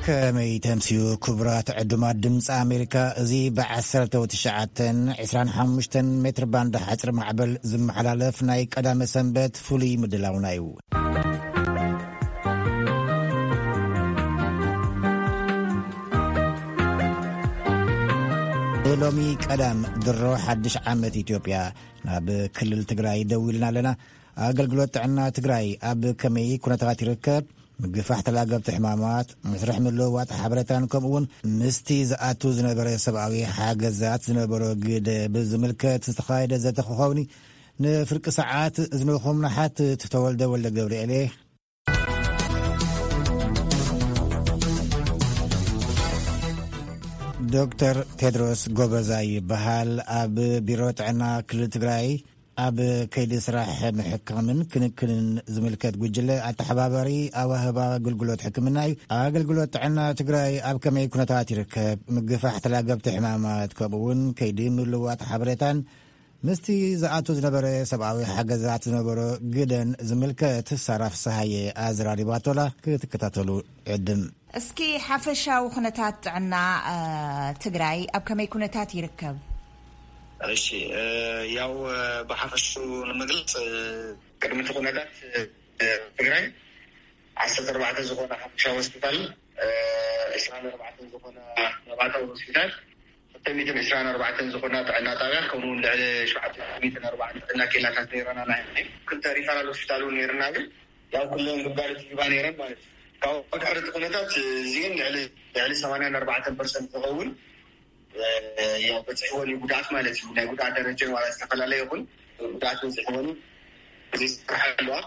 ከመይ ተምስዩ ክቡራት ዕዱማት ድምፂ ኣሜሪካ? እዚ ብ19፣ 25 ሜትር ባንድ ሓፂር ማዕበል ዝመሓላለፍ ናይ ቀዳመ ሰንበት ፍሉይ ምድላውና እዩ። ሎሚ ቀዳም ድሮ ሓድሽ ዓመት ኢትዮጵያ ናብ ክልል ትግራይ ደዊልና ኣለና። ኣገልግሎት ጥዕና ትግራይ ኣብ ከመይ ኩነታት ይርከብ? ምግፋሕ ተላገብቲ ሕማማት፣ መስርሕ ምልውዋጥ ሓበሬታን ከምኡ እውን ምስቲ ዝኣቱ ዝነበረ ሰብኣዊ ሓገዛት ዝነበሮ ግደ ብዝምልከት ዝተኻየደ ዘተ ክኸውን እዩ። ንፍርቂ ሰዓት እዝንኹም ንሓትት። ተወልደ ወልደ ገብርኤል እየ። ዶክተር ቴድሮስ ጎበዛይ ይበሃል። ኣብ ቢሮ ጥዕና ክልል ትግራይ ኣብ ከይዲ ስራሕ ምሕካምን ክንክንን ዝምልከት ጉጅለ ኣተሓባባሪ ኣዋህባ ኣገልግሎት ሕክምና እዩ። ኣገልግሎት ጥዕና ትግራይ ኣብ ከመይ ኩነታት ይርከብ? ምግፋሕ ተላገብቲ ሕማማት ከምኡ እውን ከይዲ ምልዋጥ ሓበሬታን ምስቲ ዝኣቱ ዝነበረ ሰብኣዊ ሓገዛት ዝነበሮ ግደን ዝምልከት ሳራ ፍስሃየ ኣዘራሪባቶላ ክትከታተሉ ዕድም። እስኪ ሓፈሻዊ ኩነታት ጥዕና፣ እ፣ ትግራይ ኣብ ከመይ ኩነታት ይርከብ? እሺ፣ እ፣ ያው፣ እ፣ ብሓፈሹ ንምግላፅ፣ እ፣ ቅድሚ እቲ ኩነታት፣ እ፣ ትግራይ ዓሰርተ ኣርባዕተ ዝኾነ ሓፈሻዊ ሆስፒታል፣ እ፣ ዕስራን ኣርባዕተን ዝኾነ ነባታዊ ሆስፒታል፣ ክልተ ሚእትን ዕስራን ኣርባዕተን ዝኾና ጥዕና ጣብያ፣ ከምኡ እውን ልዕሊ ሸውዓተ ሚእትን ኣርባዕን ጥዕና ኬላታት ነይረና። ናይ ክልተ ሪፈራል ሆስፒታል እውን ነይርና፣ ግን ያው ኩለን ግልጋሎት ይህባ ነይረን ማለት እዩ። ካብ ድሕሪ እቲ ኩነታት እዚአን ልዕሊ፣ ልዕሊ ሰማንያን ኣርባዕተን ፐርሰንት ዝኸውን፣ እ፣ ያው በፂሕወን እዩ ጉድኣት ማለት እዩ። ናይ ጉድኣት ደረጃን ዋላ ዝተፈላለየ ይኹን ጉድኣት በፂሕወን እዩ። እዚ ይሰርሓ ኣለዋ፣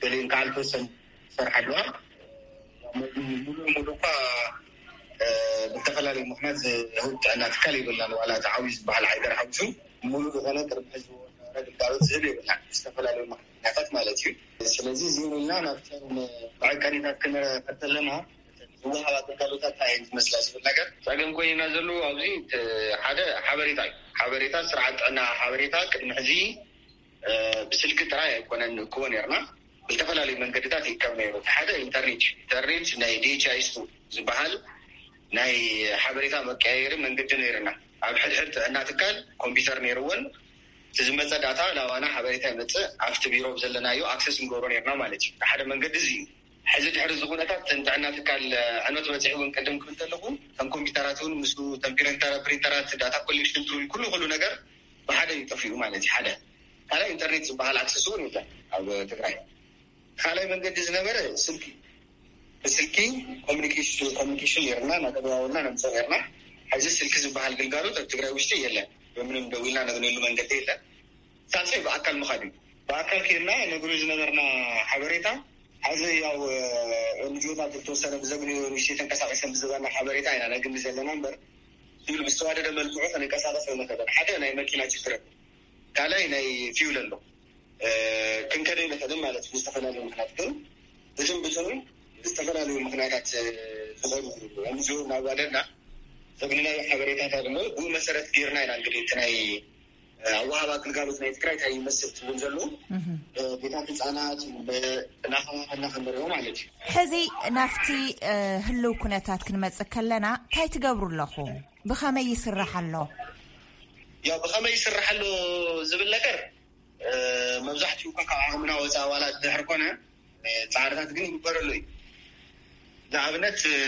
ገሊአን ከዓ ዝተወሰነ ይሰርሓ ኣለዋ። ሙሉ ሙሉ እኳ፣ እ፣ ብዝተፈላለዩ ምኽንያት ዝህብ ጥዕና ትካል የብልናን። ዋላ እቲ ዓብዩ ዝበሃል ዓይደር ሓዊሱ ሙሉ ዝኾነ ቅድሚ ሕዚ ዝነበረ ግልጋሎት ዝህብ የብልናን፣ ብዝተፈላለዩ ምኽንያታት ማለት እዩ። ስለዚ እዚ ኢልና ናብተን መዐቀኒታት ክንከድ ከለና፣ ዝወሃባ ግልጋሎታት እንታይ እየን ዝመስላ ዝብል ነገር ጸገም ኮይና ዘለዉ ኣብዚ፣ እቲ ሓደ ሓበሬታ እዩ። ሓበሬታ፣ ስርዓት ጥዕና ሓበሬታ ቅድሚ ሕዚ እ፣ ብስልኪ ጥራይ ኣይኮነን ንእክቦ ነይርና፣ ብዝተፈላለዩ መንገድታት ይእከብ ነይሩ። እቲ ሓደ ኢንተርኔት እዩ። ኢንተርኔት ናይ ዲ ኤች ኤስ ቱ ዝበሃል ናይ ሓበሬታ መቀያየሪ መንገዲ ነይርና። ኣብ ሕድሕድ ጥዕና ትካል ኮምፒውተር ነይርወን፣ እቲ ዝመጸ ዳታ ናባና ሓበሬታ ይመጽእ፣ ኣብቲ ቢሮ ዘለናዮ ኣክሰስ ንገብሮ ነይርና ማለት እዩ። ሓደ መንገዲ እዚ እዩ። ሕዚ ድሕሪ እዚ ኩነታት እተን ጥዕና ትካል ዕንወት በፂሕወን ቅድም ክብል ከለኹ፣ እተን ኮምፒውተራት እውን ምስኡ፣ እተን ፕሪንተራ-፣ ፕሪንተራት፣ ዳታ ኮሌክሽን ቱል፣ ኩሉ ኩሉ ነገር ብሓደ እዩ ጠፊኡ ማለት እዩ። ሓደ ካልኣይ ኢንተርኔት ዝበሃል ኣክሰስ እውን የለን ኣብ ትግራይ። ካልኣይ መንገዲ ዝነበረ ስልኪ፣ ብስልኪ ኮሚኒኬሽን፣ ኮሚኒኬሽን ነይርና፣ እናተደዋወልና ነምፅኦ ነይርና። ሕዚ ስልኪ ዝበሃል ግልጋሎት ኣብ ትግራይ ውሽጢ የለን። ብምንም ደዊልና ነግነሉ መንገዲ የለን። ሳልሳይ ብኣካል ምኻድ እዩ። ብኣካል ከይድና ነግሪ ዝነበርና ሓበሬታ፣ ሕዚ ያው ኤንጂኦታት ዝተወሰነ ብዘግንዮ ንእሽተይ ተንቀሳቂሰን ብዝበና ሓበሬታ ኢና ነግኒ ዘለና እምበር፣ ዝብል ብዝተዋደደ መልክዑ ክንንቀሳቀስ ኣይንኽእልን። ሓደ ናይ መኪና ችግር ኣሎ፣ ካልኣይ ናይ ፊውል ኣሎ። እ፣ ክንከደ ኣይንኽእልን ማለት እዩ። ብዝተፈላለዩ ምኽንያት ግን ብትን ብትኑን ብዝተፈላለዩ ምኽንያታት፣ እ፣ ዝኾኑ ኤንጂኦ እናዋደድና ዘግንናዮ ሓበሬታታት እሞ ብኡ መሰረት ገይርና ኢና እንግዲህ እቲ ናይ ኣወሃባ ግልጋሎት ናይ ትግራይ እንታይ ይመስል ትብል ዘለዉ፣ እ፣ ቤታት ህፃናት፣ እ፣ እናኸፋፈልና ክንበርዮ ማለት እዩ። ሕዚ ናብቲ፣ እ፣ ህልው ኩነታት ክንመጽእ ከለና እንታይ ትገብሩ ኣለኹም? ብኸመይ ይስራሕ ኣሎ? ያው ብኸመይ ይስራሕ ኣሎ ዝብል ነገር፣ እ፣ መብዛሕትኡ እኳ ካብ ዓቕምና ወፃኢ ዋላ ድሕር ኮነ፣ እ፣ ፃዕርታት ግን ይግበረሉ እዩ። ንኣብነት፣ እ፣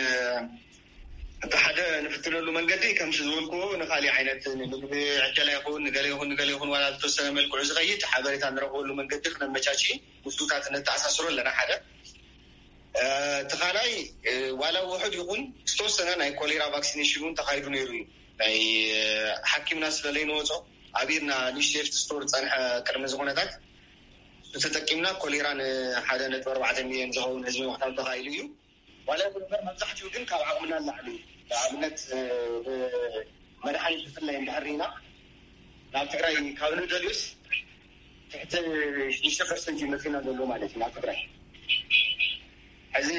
እቲ ሓደ ንፍትነሉ መንገዲ ከምቲ ዝበልክዎ ንካሊእ ዓይነት ንምግቢ ዕደላ ይኹን ንገለ ይኹን ንገለ ይኹን ዋላ ዝተወሰነ መልክዑ ዝኸይድ ሓበሬታ ንረኽበሉ መንገዲ ክነመቻቺ ምስሉታት ነተኣሳስሮ ኣለና ሓደ። እ፣ እቲ ካልኣይ፣ እ፣ ዋላ ውሑድ ይኹን ዝተወሰነ ናይ ኮሌራ ቫክሲኔሽን እውን ተኻይዱ ነይሩ እዩ። ናይ፣ እ፣ ሓኪምና ስለ ዘይንወጾ ኣብ ኢድና ንእሽተይ ሴፍቲ ስቶር ዝጸንሐ ቅድሚ እዚ ኩነታት ተጠቂምና ኮሌራ ንሓደ ነጥቢ ኣርባዕተ ሚልዮን ዝኸውን ህዝቢ ምቕታል ተኻኢሉ እዩ። ዋላ ይኹን እምበር መብዛሕትኡ ግን ካብ ዓቕምና ንላዕሊ እዩ። ንኣብነት፣ እ፣ መድሓኒት ብፍላይ እንድሕር ርኢና ናብ ትግራይ ካብ ንደልዩስ ትሕቲ ሽዱሽተ ፐርሰንት እዩ መፂና ዘሎ ማለት እዩ ናብ ትግራይ። ሕዚ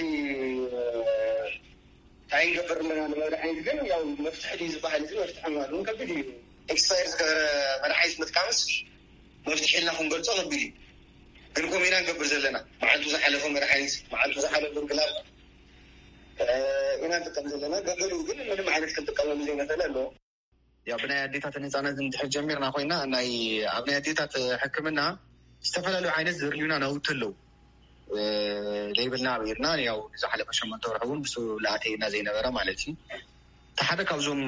እንታይ ንገብር ኣለና ንመድሓኒት ግን ያው መፍትሒ ድዩ ዝበሃል እዚ መፍትሒ ማለት እውን ከቢድ እዩ። ኤክስፓየር ዝገበረ መድሓኒት ምጥቃምስ መፍትሒ ኢልና ክንገልፆ ከቢድ እዩ። ግን ከምኡ ኢና ንገብር ዘለና። መዓልቱ ዝሓለፈ መድሓኒት፣ መዓልቱ ዝሓለፈ ግላብ፣ እ፣ ኢና ንጥቀም ዘለና። ገገሊኡ ግን ምንም ዓይነት ክንጥቀመሉ ዘይንኽእል ኣሎ። ያው ብናይ ኣዴታትን ህፃናትን እንድሕር ጀሚርና ኮይና፣ ናይ ኣብ ናይ ኣዴታት ሕክምና ዝተፈላለዩ ዓይነት ዘድልዩና ናውቲ ኣለዉ። ዘይብልና ኣቢርና፣ ያው ዝሓለፈ ሸሞንተ ወርሒ እውን ብሱ ለኣተየና ዘይነበረ ማለት እዩ። እቲ ሓደ ካብዞም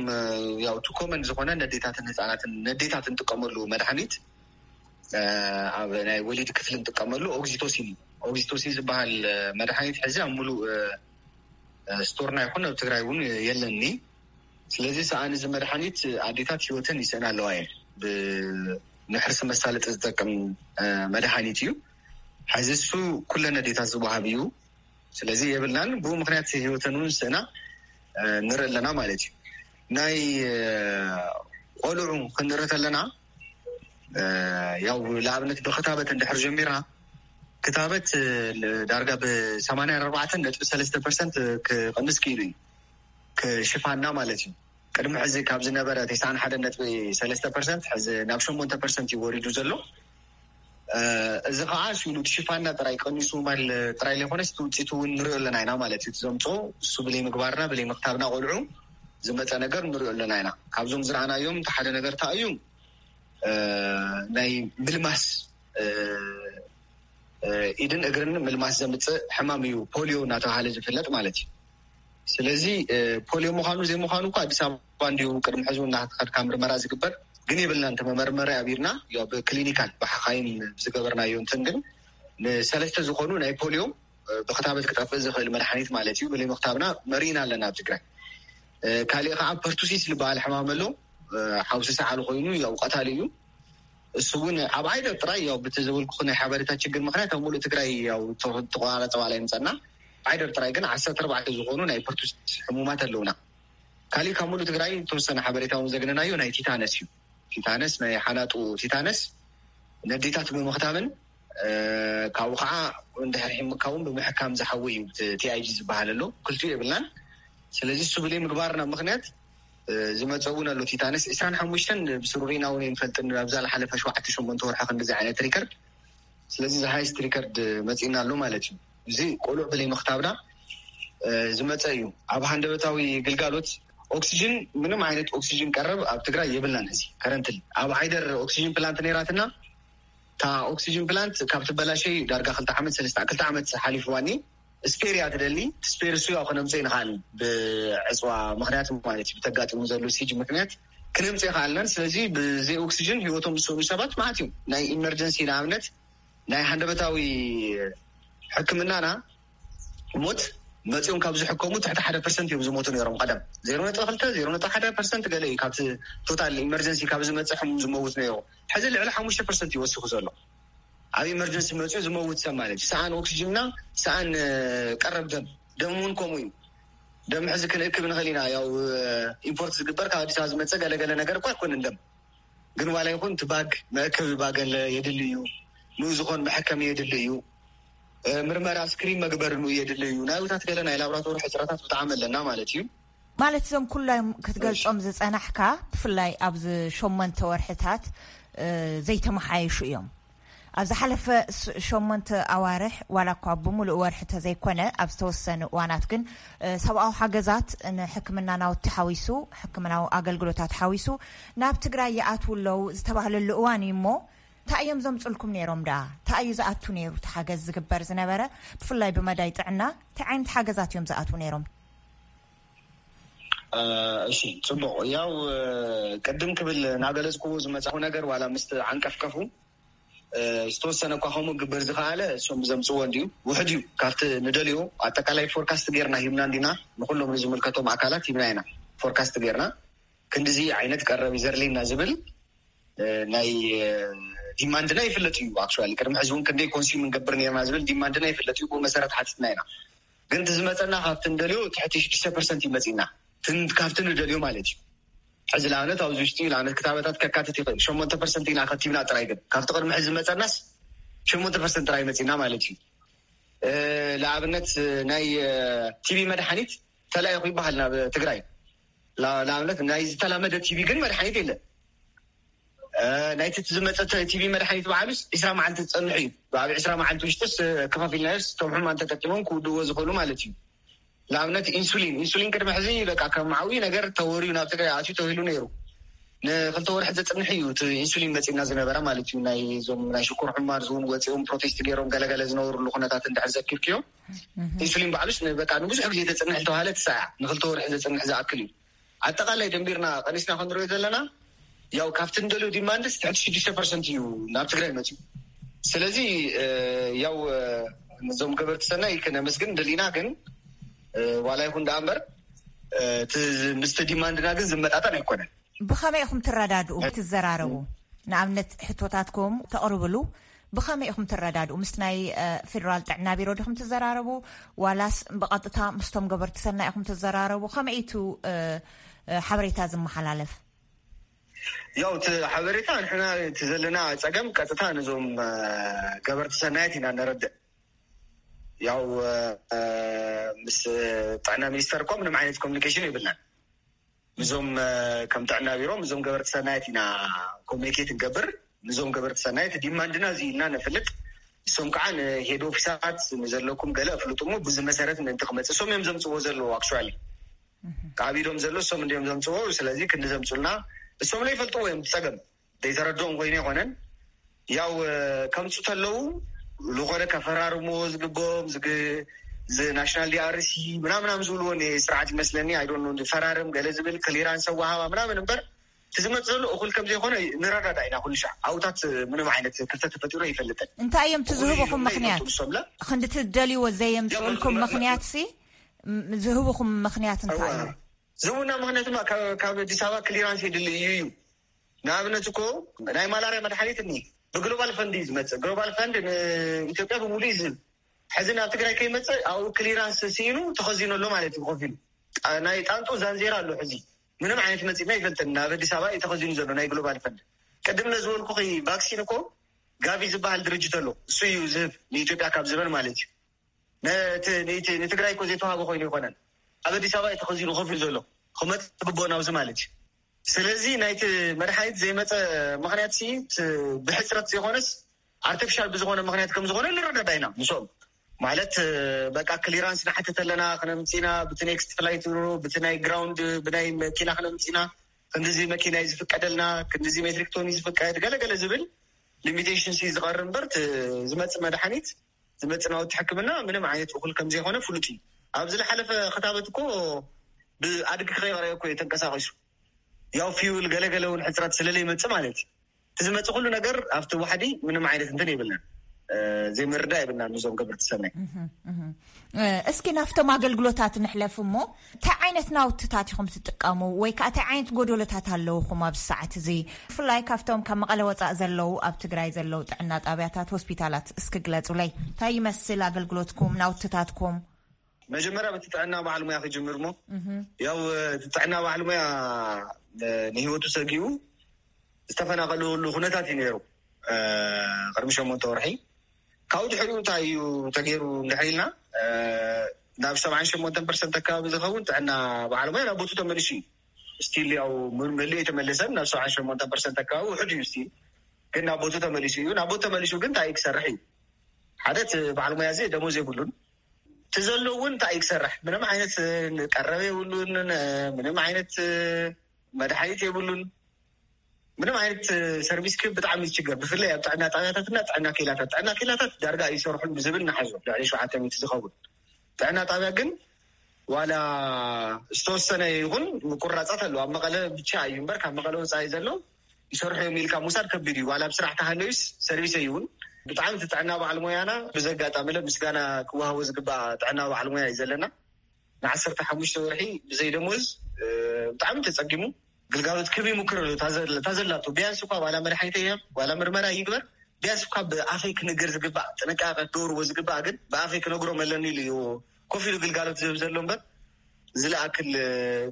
ያው እቲ ኮመን ዝኾነ ነዴታትን ህፃናትን ነዴታት እንጥቀመሉ መድሓኒት፣ ኣብ ናይ ወሊድ ክፍሊ እንጥቀመሉ ኦግዚቶሲን እዩ። ኦግዚቶሲን ዝበሃል መድሓኒት ሕዚ ኣብ ሙሉእ ስቶርና ይኹን ኣብ ትግራይ እውን የለኒ። ስለዚ ሰኣን እዚ መድሓኒት ኣዴታት ህይወተን ይስእና ኣለዋ እየን። ብንሕርሲ መሳለጢ ዝጠቅም መድሓኒት እዩ። ሕዚ እሱ ኩለን ኣዴታት ዝወሃብ እዩ። ስለዚ የብልናን፣ ብኡ ምክንያት ህይወተን እውን ስእና ንርኢ ኣለና ማለት እዩ። ናይ ቆልዑ ክንርኢ ተለና፣ ያው ንኣብነት ብክታበት እንድሕር ጀሚርና፣ ክታበት ዳርጋ ብ84.3% ክቕንስ ክኢሉ እዩ፣ ክሽፋና ማለት እዩ። ቅድሚ ሕዚ ካብ ዝነበረ 91.3% ሕዚ ናብ 8% እዩ ወሪዱ ዘሎ። እዚ ከዓ ሽሉ ሽፋና ጥራይ ቀኒሱ ማል ጥራይ ዘይኮነስ እቲ ውፅኢቱ እውን ንሪኦ ኣለና ኢና ማለት እዩ። እቲ ዘምፅኦ እሱ ብለይ ምግባርና ብለይ ምክታብና ቆልዑ ዝመፀ ነገር ንሪኦ ኣለና ኢና። ካብዞም ዝረኣናዮም እቲ ሓደ ነገር እንታይ እዩ? ናይ ምልማስ ኢድን እግርን ምልማስ ዘምፅእ ሕማም እዩ፣ ፖሊዮ እናተባሃለ ዝፍለጥ ማለት እዩ። ስለዚ ፖሊዮ ምዃኑ ዘይምዃኑ እኳ ኣዲስ ኣበባ እንዲሁ ቅድሚ ሕዚ እናተኸድካ ምርመራ ዝግበር፣ ግን የብልናን። ተመመርመሪ ኣቢርና ያው ብክሊኒካል ብሓኻይም ዝገበርናዮ እንትን ግን ንሰለስተ ዝኾኑ ናይ ፖሊዮ ብክታበት ክጠፍእ ዝኽእል መድሓኒት ማለት እዩ ብለይ ምክታብና መሪና ኣለና ኣብ ትግራይ። ካሊእ ከዓ ፐርቱሲስ ዝበሃል ሕማም ኣሎ፣ ሓውሲ ሰዓል ኮይኑ ያው ቀታሊ እዩ። እሱ እውን ኣብ ዓይደር ጥራይ ያው ብቲ ዝብልኩ ናይ ሓበሬታ ችግር ምክንያት ኣብ ሙሉእ ትግራይ ያው ተቆራረፀ ዋላ ይምፀና። ዓይደር ጥራይ ግን ዓሰርተ ኣርባዕተ ዝኾኑ ናይ ፐርቱሲስ ሕሙማት ኣለውና። ካሊእ ካብ ሙሉእ ትግራይ ተወሰነ ሓበሬታ እውን ዘግነናዮ ናይ ቲታነስ እዩ። ቲታነስ ናይ ሓናጡ ቲታነስ ነዴታት ብምኽታምን ካብኡ ከዓ እንድሕር ሒምካ እውን ብምሕካም ዝሓዊ እዩ። ቲኣይጂ ዝበሃል ኣሎ፣ ክልቲኡ የብልናን። ስለዚ እሱ ብለይ ምግባርና ምክንያት ዝመፀ እውን ኣሎ። ቲታነስ ዕስራን ሓሙሽተን ብስሩሪና እውን ይንፈልጥን ኣብዛ ዝሓለፈ ሸውዓተ ሸሞንተ ወርሒ ክንዲዚ ዓይነት ሪከርድ። ስለዚ እዚ ሃይስት ሪከርድ መፂና ኣሎ ማለት እዩ። እዚ ቆልዑ ብለይ ምክታብና ዝመፀ እዩ። ኣብ ሃንደበታዊ ግልጋሎት ኦክሲጅን፣ ምንም ዓይነት ኦክሲጅን ቀረብ ኣብ ትግራይ የብልናን። እዚ ከረንትሊ ኣብ ዓይደር ኦክሲጅን ፕላንት ነይራትና። እታ ኦክሲጅን ፕላንት ካብ ትበላሸይ ዳርጋ ክልተ ዓመት ሰለስተ ክልተ ዓመት ሓሊፍዋኒ። ስፔር እያ ትደሊ። ስፔር እሱ ያው ክነምፀ ይንኽኣል ብዕፅዋ ምክንያት ማለት እዩ፣ ብተጋጢሙ ዘሎ ሲጅ ምክንያት ክነምፀ ይኽኣልናን። ስለዚ ብዘይ ኦክሲጅን ህይወቶም ዝሰኑ ሰባት ማለት እዩ። ናይ ኢመርጀንሲ ንኣብነት ናይ ሃንደበታዊ ሕክምናና ሞት መፂኦም ካብ ዝሕከሙ ትሕቲ ሓደ ፐርሰንት እዮም ዝሞቱ ነይሮም። ቀደም ዜሮ ነጥቢ ክልተ ዜሮ ነጥቢ ሓደ ፐርሰንት ገለ እዩ ካብቲ ቶታል ኢመርጀንሲ ካብ ዝመፅእ ሕሙም ዝመውት ነይሩ። ሕዚ ልዕሊ ሓሙሽተ ፐርሰንት ይወስኹ ዘሎ ኣብ ኢመርጀንሲ መፅኡ ዝመውት ሰብ ማለት እዩ። ሰኣን ኦክሲጅንና ሰኣን ቀረብ ደም፣ ደም እውን ከምኡ እዩ። ደም ሕዚ ክንእክብ ንኽእል ኢና። ያው ኢምፖርት ዝግበር ካብ ኣዲስ ኣበባ ዝመፀ ገለገለ ነገር እኳ ኣይኮንን ደም። ግን ዋላ ይኹን እቲ ባግ መእከቢ ባግ ኣለ የድሊ እዩ። ንኡ ዝኾን መሐከሚ የድሊ እዩ። ምርመራ ስክሪን መግበሪ ንኡ የድሊ እዩ። ናብታት ገለ ናይ ላብራቶሪ ሕፅረታት ብጣዕሚ ኣለና ማለት እዩ። ማለት እዞም ኩሎም ክትገልጾም ዝጸናሕካ ብፍላይ ኣብዚ ሸሞንተ ወርሕታት ዘይተመሓየሹ እዮም። ኣብ ዝሓለፈ ሸሞንተ ኣዋርሕ ዋላ እኳ ብምሉእ ወርሒ ተዘይኮነ ኣብ ዝተወሰኑ እዋናት ግን ሰብኣዊ ሓገዛት ንሕክምና ናውቲ ሓዊሱ ሕክምናዊ ኣገልግሎታት ሓዊሱ ናብ ትግራይ ይኣትዉ ኣለዉ ዝተባህለሉ እዋን እዩ እሞ እንታይ እዮም ዘምፅልኩም ነይሮም ደኣ? እንታይ እዩ ዝኣቱ ነይሩ እቲ ሓገዝ ዝግበር ዝነበረ? ብፍላይ ብመዳይ ጥዕና እንታይ ዓይነት ሓገዛት እዮም ዝኣትዉ ነይሮም? እሺ፣ ፅቡቕ። ያው ቅድም ክብል እናገለፅኩዎ ዝመፃኹ ነገር ዋላ ምስ ዓንቀፍቀፉ ዝተወሰነ እኳ ከምኡ ግበር ዝኸኣለ እሶም ብዘምፅዎ እንድዩ ውሕድ እዩ ካብቲ ንደልዮ። ኣጠቃላይ ፎርካስት ጌርና ሂብና እንዲና ንኩሎም ንዝምልከቶም ኣካላት ሂብና ኢና። ፎርካስት ጌርና ክንድዚ ዓይነት ቀረብ እዩ ዘድልየና ዝብል ናይ ዲማንድና ይፍለጥ እዩ። ኣክቹዋሊ ቅድሚ ሕዚ እውን ክንደይ ኮንሱም ንገብር ነርና ዝብል ዲማንድና ይፍለጥ እዩ። ብኡ መሰረት ሓቲትና ኢና። ግን እቲ ዝመፀና ካብቲ ንደልዮ ትሕቲ ሽዱሽተ ፐርሰንት እዩ መፂና። ካብቲ ንደልዮ ማለት እዩ። ሕዚ ንኣብነት ኣብዚ ውሽጢ ንኣብነት ክታበታት ከካትት ይኽእል ሸሞንተ ፐርሰንት ኢና ከቲብና ጥራይ። ግን ካብቲ ቅድሚ ሕዚ ዝመፀናስ ሸሞንተ ፐርሰንት ጥራይ መፂና ማለት እዩ። ንኣብነት ናይ ቲቪ መድሓኒት ተላኢኹ ይበሃል ናብ ትግራይ። ንኣብነት ናይ ዝተላመደ ቲቪ ግን መድሓኒት የለን። ናይቲ ዝመፀ ቲቪ መድሓኒት በዓሉስ ዕስራ መዓልቲ ዝፀንሑ እዩ። ብኣብ ዕስራ መዓልቲ ውሽጥስ ከፋፊልናዮስ እቶም ሕሙማን ተጠቂሞም ክውድዎ ዝኽእሉ ማለት እዩ። ንኣብነት ኢንሱሊን ኢንሱሊን ቅድሚ ሕዚ በቃ ከም ዓብዪ ነገር ተወርዩ ናብ ትግራይ ኣትዩ ተባሂሉ ነይሩ። ንክልተ ወርሒ ዘፅንሕ እዩ እቲ ኢንሱሊን መፂና ዝነበረ ማለት እዩ። ናይ እዞም ናይ ሽኮር ሕሙማት ዝውን ወፂኦም ፕሮቴስት ገይሮም ገለገለ ዝነበሩሉ ኩነታት እንድሕር ዘኪርክዮ፣ ኢንሱሊን ባዕሉስ በቃ ንብዙሕ ግዜ ዘፅንሕ ዝተባሃለ ትሳያ ንክልተ ወርሒ ዘፅንሕ ዝኣክል እዩ። ኣጠቃላይ ደንቢርና ቀኒስና ክንሪኦ ዘለና ያው ካብቲ ንደልዮ ዲማንድስ ትሕቲ ሽዱሽተ ፐርሰንት እዩ ናብ ትግራይ መፅዩ። ስለዚ ያው እዞም ገበርቲ ሰናይ ክነመስግን ደሊና፣ ግን ዋላ ይኹን ደኣ እምበር እቲ ምስቲ ዲማንድና ግን ዝመጣጠን ኣይኮነን። ብኸመይ ኢኹም ትረዳድኡ ትዘራረቡ? ንኣብነት ሕቶታትኩም ተቕርብሉ ብኸመይ ኢኹም ትረዳድኡ? ምስ ናይ ፌደራል ጥዕና ቢሮ ዲኹም ትዘራረቡ ዋላስ ብቐጥታ ምስቶም ገበርቲ ሰናይ ኢኹም ትዘራረቡ? ከመይ ኢቱ ሓበሬታ ዝመሓላለፍ? ያው እቲ ሓበሬታ ንሕና እቲ ዘለና ፀገም ቀጥታ ነዞም ገበርቲ ሰናያት ኢና ነረድእ። ያው ምስ ጥዕና ሚኒስተር እኳ ምንም ዓይነት ኮሚኒኬሽን የብልናን። እዞም ከም ጥዕና ቢሮ እዞም ገበርቲ ሰናየት ኢና ኮሚኒኬት ንገብር። እዞም ገበርቲ ሰናየት ዲማንድና እዚ ኢልና ነፍልጥ። እሶም ከዓ ንሄድ ኦፊሳት ንዘለኩም ገለ ኣፍልጡ እሞ ብዙ መሰረት ምእንቲ ክመፅእ እሶም እዮም ዘምፅዎ ዘለዉ። ኣክቹዋሊ ካብ ኢዶም ዘሎ እሶም እንዲዮም ዘምፅዎ። ስለዚ ክንዲ ዘምፁልና እሶም ለይፈልጥዎ እዮም። ፀገም ዘይተረድኦም ኮይኑ ኣይኮነን። ያው ከምፁ ተለዉ ዝኾነ ከፈራርሞ ዝግብኦም ናሽናል ዲኣርሲ ምናምናም ዝብልዎ ስርዓት ይመስለኒ። ኣይዶ ፈራርም ገለ ዝብል ክሊራንስ ኣዋሃባ ምናምን እምበር እቲ ዝመፅ ዘሎ እኩል ከም ዘይኮነ ንረዳዳ ኢና። ኩሉ ሻዕ ኣውታት ምንም ዓይነት ክፍተት ተፈጢሩ ይፈልጥን። እንታይ እዮም እቲ ዝህብኹም ምክንያት? ክንዲ ትደልይዎ ዘየምፅኡልኩም ምክንያት ሲ ዝህብኹም ምክንያት እንታይ እዩ? ዝህቡና ምክንያት ድማ ካብ ኣዲስ ኣበባ ክሊራንስ የድሊ እዩ እዩ። ንኣብነት እኮ ናይ ማላርያ መድሓኒት እኒ ብግሎባል ፈንድ እዩ ዝመፅእ። ግሎባል ፈንድ ንኢትዮጵያ ብምሉእ እዩ ዝህብ። ሕዚ ናብ ትግራይ ከይመፅእ ኣብኡ ክሊራንስ ስኢኑ ተኸዚኑ ኣሎ ማለት እዩ። ኮፊሉ ናይ ጣንጡ ዛንዜራ ኣሎ። ሕዚ ምንም ዓይነት መፂና ይፈልጥን ናብ ኣዲስ ኣበባ እዩ ተኸዚኑ ዘሎ ናይ ግሎባል ፈንድ። ቅድም ነዝበልኩ ቫክሲን እኮ ጋቪ ዝበሃል ድርጅት ኣሎ። እሱ እዩ ዝህብ ንኢትዮጵያ ካብ ዝበን ማለት እዩ። ንትግራይ እኮ ዘይተዋሃበ ኮይኑ ይኮነን። ኣብ ኣዲስ ኣበባ እዩ ተኸዚኑ ኮፍ ኢሉ ዘሎ። ክመፅ ግቦ ናብዚ ማለት እዩ። ስለዚ ናይቲ መድሓኒት ዘይመፀ ምክንያት ሲ ብሕፅረት ዘይኮነስ ኣርቲፊሻል ብዝኾነ ምክንያት ከም ዝኾነ ንረዳዳ ኢና። ምስኦም ማለት በቃ ክሊራንስ ንሓትት ኣለና ክነምፅና ብቲ ኔክስት ፍላይት ብቲ ናይ ግራውንድ ብናይ መኪና ክነምፅና ክንዲዚ መኪና እዩ ዝፍቀደልና ክንዲዚ ሜትሪክ ቶን እዩ ዝፍቀድ ገለገለ ዝብል ሊሚቴሽን ሲ ዝቐር እምበር ዝመፅእ መድሓኒት ዝመፅእ ናውቲ ሕክምና ምንም ዓይነት እኹል ከም ዘይኮነ ፍሉጥ እዩ። ኣብ ዝለሓለፈ ክታበት እኮ ብኣድጊ ከይቐረየ እኮ እዩ ተንቀሳቂሱ። ያው ፊውል ገለገለ እውን ሕፅረት ስለለይመፅእ ማለት እዩ። እቲ ዝመፅእ ኩሉ ነገር ኣብቲ ዋሕዲ ምንም ዓይነት እንትን የብልናን። ዘይምርዳ የብልናን ንዞም ገበርቲ ሰናይ። እስኪ ናፍቶም ኣገልግሎታት ንሕለፍ እሞ እንታይ ዓይነት ናውትታት ኢኹም ትጥቀሙ ወይ ከዓ እንታይ ዓይነት ጎደሎታት ኣለውኹም ኣብዚ ሰዓት እዚ? ብፍላይ ካብቶም ካብ መቐለ ወፃእ ዘለዉ ኣብ ትግራይ ዘለዉ ጥዕና ጣብያታት ሆስፒታላት እስኪ ግለፁለይ። እንታይ ይመስል ኣገልግሎትኩም ናውትታትኩም? መጀመርያ በቲ ጥዕና በዓል ሙያ ክጅምር እሞ ያው እቲ ጥዕና በዓል ሙያ ንህይወቱ ሰጊኡ ዝተፈናቀለሉ ኩነታት እዩ ነይሩ ቅድሚ ሸሞንተ ወርሒ። ካብኡ ድሕሪኡ እንታይ እዩ ተገይሩ እንድሕር ኢልና ናብ ሰብዓን ሸሞንተን ፐርሰንት ኣካባቢ ዝኸውን ጥዕና በዓል ሙያ ናብ ቦቱ ተመሊሱ እዩ። ስቲል ያው መሊኡ የተመለሰን ናብ ሰብዓን ሸሞንተን ፐርሰንት ኣካባቢ ውሕድ እዩ። ስቲል ግን ናብ ቦቱ ተመሊሱ እዩ። ናብ ቦቱ ተመሊሱ ግን እንታይ እዩ ክሰርሕ እዩ? ሓደ እቲ በዓል ሙያ እዚ ደሞዝ የብሉን። እቲ ዘሎ እውን እንታይ እዩ ክሰርሕ? ምንም ዓይነት ቀረብ የብሉን። ምንም ዓይነት መድሓኒት የብሉን። ምንም ዓይነት ሰርቪስ ክብ ብጣዕሚ ዝችገር ብፍላይ ኣብ ጥዕና ጣብያታትና ጥዕና ኬላታት ጥዕና ኬላታት ዳርጋ ኣይሰርሑን ብዝብል ንሓዞ ልዕሊ ሸውዓተ ሚእቲ ዝኸውን ጥዕና ጣብያ ግን ዋላ ዝተወሰነ ይኹን ምቁራፃት ኣለዉ ኣብ መቐለ ብቻ እዩ እምበር ካብ መቐለ ወፃኢ ዘሎ ይሰርሑ እዮም ኢልካ ምውሳድ ከቢድ እዩ ዋላ ኣብ ስራሕ ተሃለዩስ ሰርቪስ ኣይውን ብጣዕሚ እቲ ጥዕና በዓል ሞያና ብዘጋጣሚ ለ ምስጋና ክወሃቦ ዝግባእ ጥዕና በዓል ሞያ እዩ ዘለና ንዓሰርተ ሓሙሽተ ወርሒ ብዘይ ደሞዝ ብጣዕሚ ተፀጊሙ ግልጋሎት ክህብ ይሙክር ኣሎ እታ ዘላቶ ቢያንስ እኳ ዋላ መድሓኒት ይህብ ዋላ ምርመራ ይግበር ቢያንስ እኳ ብኣፈይ ክነገር ዝግባእ ጥንቃቐ ክገብርዎ ዝግባእ ግን ብኣፈይ ክነግሮም ኣለኒ ኢሉ እዩ ኮፍ ኢሉ ግልጋሎት ዝህብ ዘሎ እምበር ዝለኣክል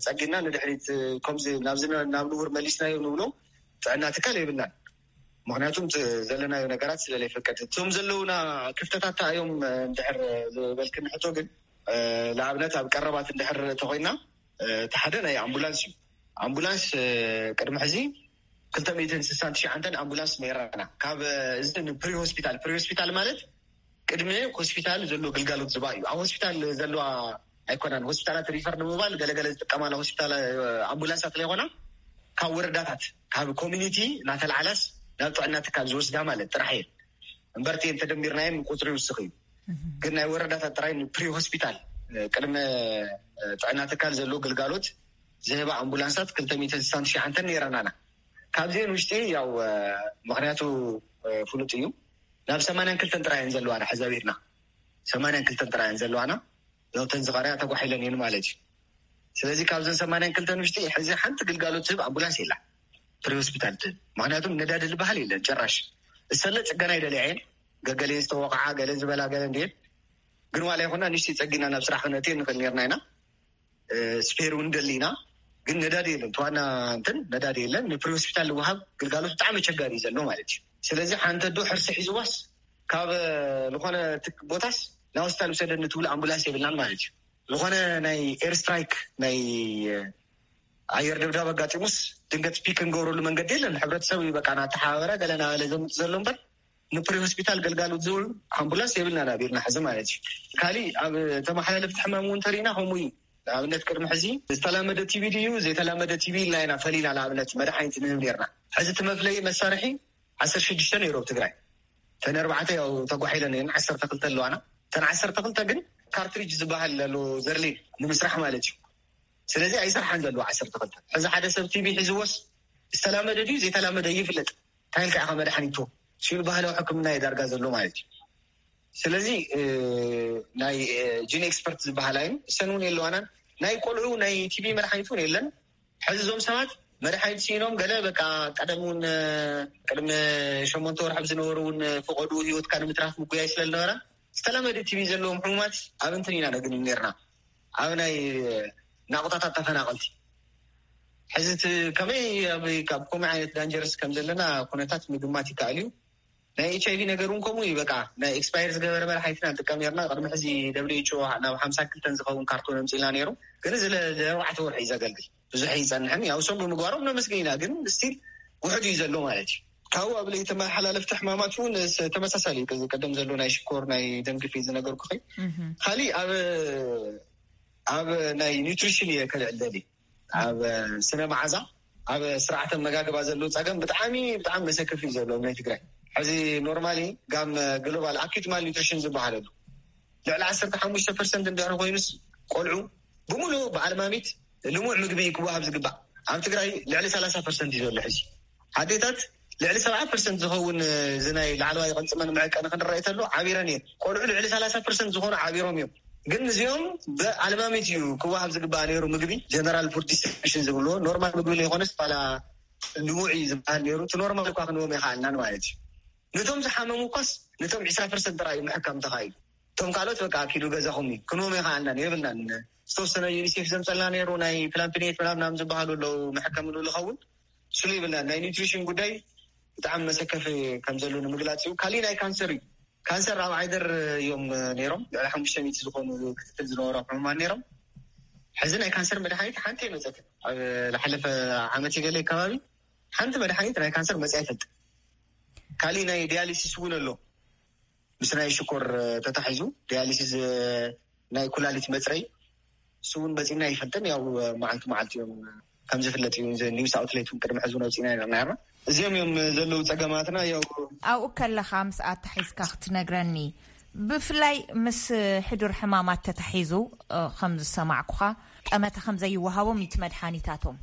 ፀጊና ንድሕሪት ከምዚ ናብዚ ናብ ንቡር መሊስናዮ ንብሎ ጥዕና ትካል የብልናን ምክንያቱም ዘለናዮ ነገራት ስለለይፈቀድ እቶም ዘለውና ክፍተታት እዮም እንድሕር ዝበልክኒ ሕቶ ግን ንኣብነት ኣብ ቀረባት እንድሕር ተኮይና እቲ ሓደ ናይ ኣምቡላንስ እዩ ኣምቡላንስ ቅድሚ ሕዚ ክልተ ሚእትን ስሳን ትሽዓንተን ኣምቡላንስ ነይራና ካብ እዚ ፕሪ ሆስፒታል ፕሪ ሆስፒታል ማለት ቅድሚ ሆስፒታል ዘሎ ግልጋሎት ዝባ እዩ ኣብ ሆስፒታል ዘለዋ ኣይኮናን። ሆስፒታላት ሪፈር ንምባል ገለገለ ዝጥቀማላ ሆስፒታል፣ ኣምቡላንሳት ዘይኮና፣ ካብ ወረዳታት፣ ካብ ኮሚኒቲ እናተላዓላስ ናብ ጥዕና ትካል ዝወስዳ ማለት ጥራሕ እየን። እምበርቲ እንተደሚርናየን ቁፅሪ ይውስኽ እዩ። ግን ናይ ወረዳታት ጥራይ ፕሪ ሆስፒታል፣ ቅድመ ጥዕና ትካል ዘለዎ ግልጋሎት ዝህባ ኣምቡላንሳት ክልተ ሚእትን ስሳን ትሽዓተን ነይረናና። ካብዚአን ውሽጢ ያው ምክንያቱ ፍሉጥ እዩ። ናብ ሰማንያን ክልተን ጥራይ እየን ዘለዋና። ሕዚ ኣቢልና ሰማንያን ክልተን ጥራይ እየን ዘለዋና። እተን ዝቐርያ ተጓሒለን እየን ማለት እዩ። ስለዚ ካብዘን ሰማንያን ክልተን ውሽጢ ሕዚ ሓንቲ ግልጋሎት ትህብ ኣምቡላንስ የላ፣ ፕሪ ሆስፒታል ትህብ። ምክንያቱም ነዳዲ ዝበሃል የለን ጭራሽ። እሰለ ፅገና ይደልያ እየን፣ ገገሌን ዝተወቕዓ ገለን ዝበላ ገለ እንድየን። ግን ዋላ ይኹና ንሽቲ ፀጊና ናብ ስራሕ ክነእትየ ንኽእል ነርና ኢና። ስፔር እውን ደሊና፣ ግን ነዳዲ የለን። ተዋና እንትን ነዳዲ የለን። ንፕሪ ሆስፒታል ዝወሃብ ግልጋሎት ብጣዕሚ ኣቸጋሪ እዩ ዘሎ ማለት እዩ። ስለዚ ሓንቲ ኣዶ ሕርሲ ሒዝዋስ ካብ ዝኾነ ትክ- ቦታስ ናብ ሆስፒታል ውሰደኒ ትብሉ ኣምቡላንስ የብልናን ማለት እዩ። ዝኾነ ናይ ኤር ስትራይክ፣ ናይ ኣየር ድብዳብ ኣጋጢሙስ ድንገት ፒክ እንገብረሉ መንገዲ የለን። ሕብረተሰብ እዩ በቃ እናተሓባበረ ገለ እናበለ ዘምፅ ዘሎ እምበር ንፕሪ ሆስፒታል ገልጋሎት ዝውዕል ኣምቡላንስ የብልና ናብ ኢድና ሕዚ ማለት እዩ። ካሊእ ኣብ ተመሓላለፍቲ ሕማም እውን ተሪእና ከምኡ እዩ። ንኣብነት ቅድሚ ሕዚ ዝተላመደ ቲቪ ድዩ ዘይተላመደ ቲቪ ኢልና ኢና ፈሊና። ንኣብነት መድሓኒት ንህብ ነርና። ሕዚ እቲ መፍለይ መሳርሒ ዓሰርተ ሽዱሽተ ነይሩ ኣብ ትግራይ። እተን ኣርባዕተ ያው ተጓሒለን እየን፣ ዓሰርተ ክልተ ኣለዋና። እተን ዓሰርተ ክልተ ግን ካርትሪጅ ዝበሃል ኣሎ፣ ዘርሌን ንምስራሕ ማለት እዩ። ስለዚ ኣይሰርሓን ዘለዎ ዓሰርተ ክልተ። ሕዚ ሓደ ሰብ ቲቪ ሒዝዎስ ዝተላመደ ድዩ ዘይተላመደ ይፍለጥ። እንታይ ኢልካ ኢኻ መድሓኒት ትህቦ? ሲሉ ባህላዊ ሕክምና እዩ ዳርጋ ዘሎ ማለት እዩ። ስለዚ ናይ ጂን ኤክስፐርት ዝበሃል ኣይን እሰን እውን የለዋናን። ናይ ቆልዑ ናይ ቲቪ መድሓኒት እውን የለን። ሕዚ እዞም ሰባት መድሓኒት ሲኢኖም ገለ በቃ ቀደም እውን ቅድሚ ሸሞንተ ወርሒ ዝነበሩ እውን ፈቐዱ ህይወትካ ንምትራፍ ምጉያይ ስለ ዝነበረ ዝተለመደ ቲቪ ዘለዎም ሕሙማት ኣብ እንትን ኢና ነግኒ ነርና፣ ኣብ ናይ ናቑጣታት ተፈናቐልቲ። ሕዚ እቲ ከመይ ኣብ ካብ ከምኡ ዓይነት ዳንጀርስ ከም ዘለና ኩነታት ምግማት ይከኣል እዩ። ናይ ኤች ኣይቪ ነገር እውን ከምኡ እዩ። በቃ ናይ ኤክስፓየር ዝገበረ መድሓኒትና ንጥቀም ነርና። ቅድሚ ሕዚ ደብሊው ኤች ኦ ናብ ሓምሳ ክልተን ዝኸውን ካርቶን ኣምፂልና ነይሩ፣ ግን እዚ ለ- ለኣርባዕተ ወርሒ እዩ ዘገልግል። ብዙሕ ይፀንሕን ያው እሶም ብምግባሮም ነመስግን ኢና፣ ግን ስቲል ውሕድ እዩ ዘሎ ማለት እዩ። ካብኡ ኣብ ለይተመሓላለፍቲ ሕማማት እውን ስ- ተመሳሳሊ እዩ። እዚ ቀደም ዘሎ ናይ ሽኮር ናይ ደም ግፊት ዝነገርኩኺ። ካሊእ ኣብ ኣብ ናይ ኒውትሪሽን እየ ከልዕል ደሊ። ኣብ ስነ መዓዛ፣ ኣብ ስርዓተ መጋግባ ዘሎ ፀገም ብጣዕሚ ብጣዕሚ መሰክፍ እዩ ዘሎ ኣብ ናይ ትግራይ። ሕዚ ኖርማሊ ጋም ግሎባል ኣኪዩት ማል ኒውትሪሽን ዝበሃል ኣሎ። ልዕሊ ዓሰርተ ሓሙሽተ ፐርሰንት እንድሕር ኮይኑስ ቆልዑ ብምሉእ ብኣልማሚት ልሙዕ ምግቢ ክወሃብ ዝግባእ ኣብ ትግራይ ልዕሊ ሰላሳ ፐርሰንት እዩ ዘሎ። ሕዚ ኣዴታት ልዕሊ ሰብዓ ፐርሰንት ዝኸውን እዚ ናይ ላዕለዋይ ቅንፅመን መዕቀኒ ክንረአ ተሎ ዓቢረን እየን። ቆልዑ ልዕሊ ሰላሳ ፐርሰንት ዝኾኑ ዓቢሮም እዮም። ግን እዚኦም ብኣልማሚት እዩ ክወሃብ ዝግባእ ነይሩ። ምግቢ ጀነራል ፉድ ዲስትሪቢሽን ዝብልዎ ኖርማል ምግቢ ዘይኮነስ ባላ ልሙዕ እዩ ዝበሃል ነይሩ። እቲ ኖርማል እኳ ክንዎም ይኸኣልናን ማለት እዩ። ነቶም ዝሓመሙ እኳስ ነቶም ዕስራ ፐርሰንት ጥራይ እዩ ምሕካም ተኻኢሉ። እቶም ካልኦት በቃ ኪዱ ገዛኹም እዩ ክንዎም ይኸኣልናን የብልናን። ዝተወሰነ ዩኒሴፍ ዘምፀልና ነይሩ ናይ ፕላምፕኔት ምናምናም ዝበሃሉ ኣለዉ መሕከምሉ ዝኸውን ስሉ ይብልና። ናይ ኒትሪሽን ጉዳይ ብጣዕሚ መሰከፊ ከም ዘሎ ንምግላፅ እዩ። ካሊእ ናይ ካንሰር እዩ። ካንሰር ኣብ ዓይደር እዮም ነይሮም። ልዕሊ ሓሙሽተ ሚእቲ ዝኾኑ ክትትል ዝነበሮም ሕሙማት ነይሮም። ሕዚ ናይ ካንሰር መድሓኒት ሓንቲ የመፀት ኣብ ዝሓለፈ ዓመት ገለ ከባቢ ሓንቲ መድሓኒት ናይ ካንሰር መፅያ ይፈልጥ። ካሊእ ናይ ዲያሊሲስ እውን ኣሎ። ምስ ናይ ሽኮር ተታሒዙ ዲያሊሲስ ናይ ኩላሊት መፅረይ እሱ እውን በፂና ይፈልጥን። ያው መዓልቲ መዓልቲ እዮም ከም ዝፍለጥ እዩ። ኒውስ ኣውትሌት እውን ቅድሚ ሕዚ ነውፂና ኢና ነርና። እዚኦም እዮም ዘለዉ ፀገማትና። ያው ኣብኡ ከለኻ ምስ ኣታሒዝካ ክትነግረኒ፣ ብፍላይ ምስ ሕዱር ሕማማት ተታሒዙ ከም ዝሰማዕኩኻ ጠመተ ከም ዘይወሃቦም እዩ እቲ መድሓኒታቶም።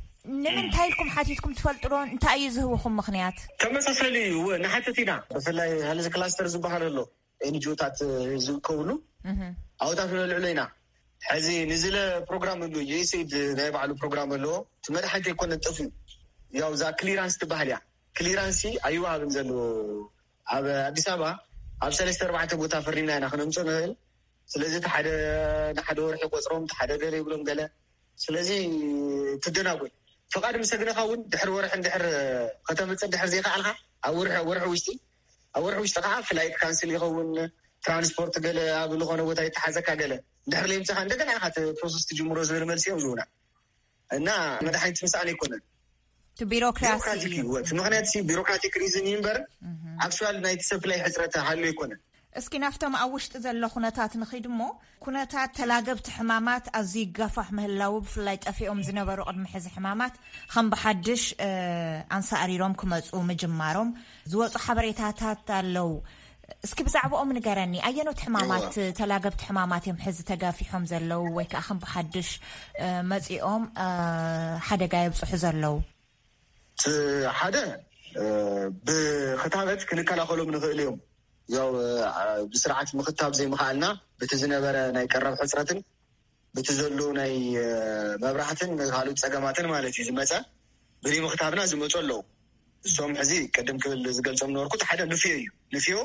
ንምንታይ ኢልኩም ሓቲትኩም ትፈልጡ ዶ? እንታይ እዩ ዝህብኹም ምኽንያት? ተመሳሳሊ እዩ። እወ፣ ንሓትት ኢና። ብፍላይ ሄልዝ ክላስተር ዝበሃል ኣሎ፣ ኤንጂኦታት ዝእከብሉ ኣብታት ነልዕሎ ኢና። ሕዚ ንዝለ ፕሮግራም ኣሎ፣ ዩኤስኤድ ናይ ባዕሉ ፕሮግራም ኣለዎ። እቲ መድሓኒት ኣይኮነን ጠፍኡ። ያው እዛ ክሊራንስ ትበሃል እያ። ክሊራንስ ኣይወሃብን ዘሎ ኣብ ኣዲስ ኣበባ። ኣብ ሰለስተ ኣርባዕተ ቦታ ፈሪምና ኢና ክነምፅኦ ንኽእል። ስለዚ እቲ ሓደ ንሓደ ወርሒ ቆፅሮም፣ እቲ ሓደ ገለ ይብሎም ገለ። ስለዚ ትደናጎይ። ፍቓድ ምስ ኣግነኻ እውን ድሕሪ ወርሒ እንድሕር ከተምፅእ እንድሕር ዘይከኣልካ ኣብ ወርሒ፣ ኣብ ወርሒ ውሽጢ፣ ኣብ ወርሒ ውሽጢ ከዓ ፍላይት ካንስል ይኸውን፣ ትራንስፖርት ገለ ኣብ ዝኾነ ቦታ ይተሓዘካ ገለ እንድሕር ለይምፅኻ እንደገና ኢኻ እቲ ፕሮሰስ ትጅምሮ ዝብል መልሲ እዮም ዝህቡና። እና መድሓኒት ምስኣን ኣይኮነን። እቲ ቢሮክራሲ ቢሮክራቲክ እዩ። እዩ። እቲ ምኽንያት ሲ ቢሮክራቲክ ሪዝን እዩ እምበር ኣክቹዋል ናይቲ ሰፕላይ ሕፅረት ሃልዩ ኣይኮነን። እስኪ ናብቶም ኣብ ውሽጢ ዘሎ ኩነታት ንኺድ እሞ፣ ኩነታት ተላገብቲ ሕማማት ኣዝዩ ይጋፋሕ ምህላዉ፣ ብፍላይ ጠፊኦም ዝነበሩ ቅድሚ ሕዚ ሕማማት ከም ብሓድሽ፣ እ፣ ኣንሳእሪሮም ክመጹ ምጅማሮም ዝወጹ ሓበሬታታት ኣለዉ። እስኪ ብዛዕባኦም ንገረኒ። ኣየኖት ሕማማት፣ እዋ። ተላገብቲ ሕማማት እዮም ሕዚ ተጋፊሖም ዘለዉ ወይ ከኣ ከም ብሓድሽ፣ እ፣ መጺኦም፣ እ፣ ሓደጋ የብጽሑ ዘለዉ? እቲ ሓደ፣ እ፣ ብክታበት ክንከላኸሎም ንኽእል እዮም። ያው፣ እ፣ ብስርዓት ምኽታብ ዘይምኽኣልና፣ በቲ ዝነበረ ናይ ቀረብ ሕጽረትን፣ በቲ ዘሎ ናይ፣ እ፣ መብራህትን ካልኦት ጸገማትን ማለት እዩ ዝመጸ። ብዘይምኽታብና ዝመጹ ኣለዉ። እሶም ሕዚ ቅድም ክብል ዝገልጾም ነበርኩ፣ እቲ ሓደ ንፍዮ እዩ። ንፍዮ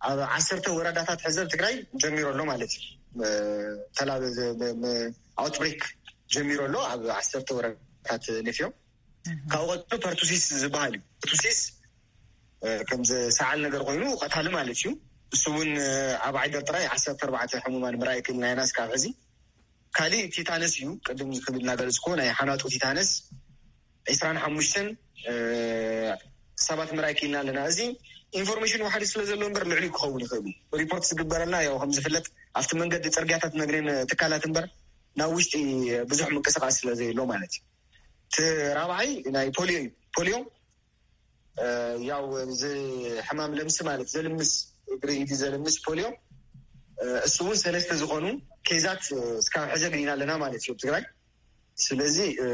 ኣብ ዓሰርተ ወረዳታት ሕዚ ኣብ ትግራይ ጀሚሩ ኣሎ ማለት እዩ። እ፣ ተላ-፣ ብ-፣ ብ-፣ ብ-፣ ኣውትብሬክ ጀሚሩ ኣሎ ኣብ ዓሰርተ ወረዳታት ንፍዮ። እህ። ካብኡ ቀጥሎ ፐርቱሲስ ዝበሃል እዩ። ፐርቱሲስ፣ እ፣ ከም ሰዓል ነገር ኮይኑ ቀታሊ ማለት እዩ። እሱ እውን፣ እ፣ ኣብ ዓይደር ጥራይ ዓሰርተ ኣርባዕተ ሕሙማን ምርኣይ ክኢልና ኢና እስካብ ሕዚ። ካሊእ ቲታነስ እዩ። ቅድም ክብል እናገለጽኩዎ ናይ ሓናጡ ቲታነስ ዒስራን ሓሙሽተን፣ እ፣ ሰባት ምርኣይ ክኢልና ኣለና። እዚ ኢንፎርሜሽን ዋሕዲ ስለ ዘሎ እምበር ልዕሊ ክኸውን ይኽእል እዩ። ሪፖርት ዝግበረልና ያው ከም ዝፍለጥ ኣብቲ መንገዲ ጽርግያታት መግነን ትካላት እምበር ናብ ውሽጢ ብዙሕ ምንቅስቃስ ስለ ዘየሎ ማለት እዩ። እቲ ራብዓይ ናይ ፖሊዮ እዩ። ፖሊዮ፣ እ፣ ያው እዚ ሕማም ለምሲ ማለት ዘልምስ እግሪ ኢዲ ዘልምስ ፖሊዮ፣ እ፣ እሱ እውን ሰለስተ ዝኾኑ ኬዛት፣ እ፣ እስካብ ሕዚ ኣግኒና ኣለና ማለት እዩ ኣብ ትግራይ። ስለዚ፣ እ፣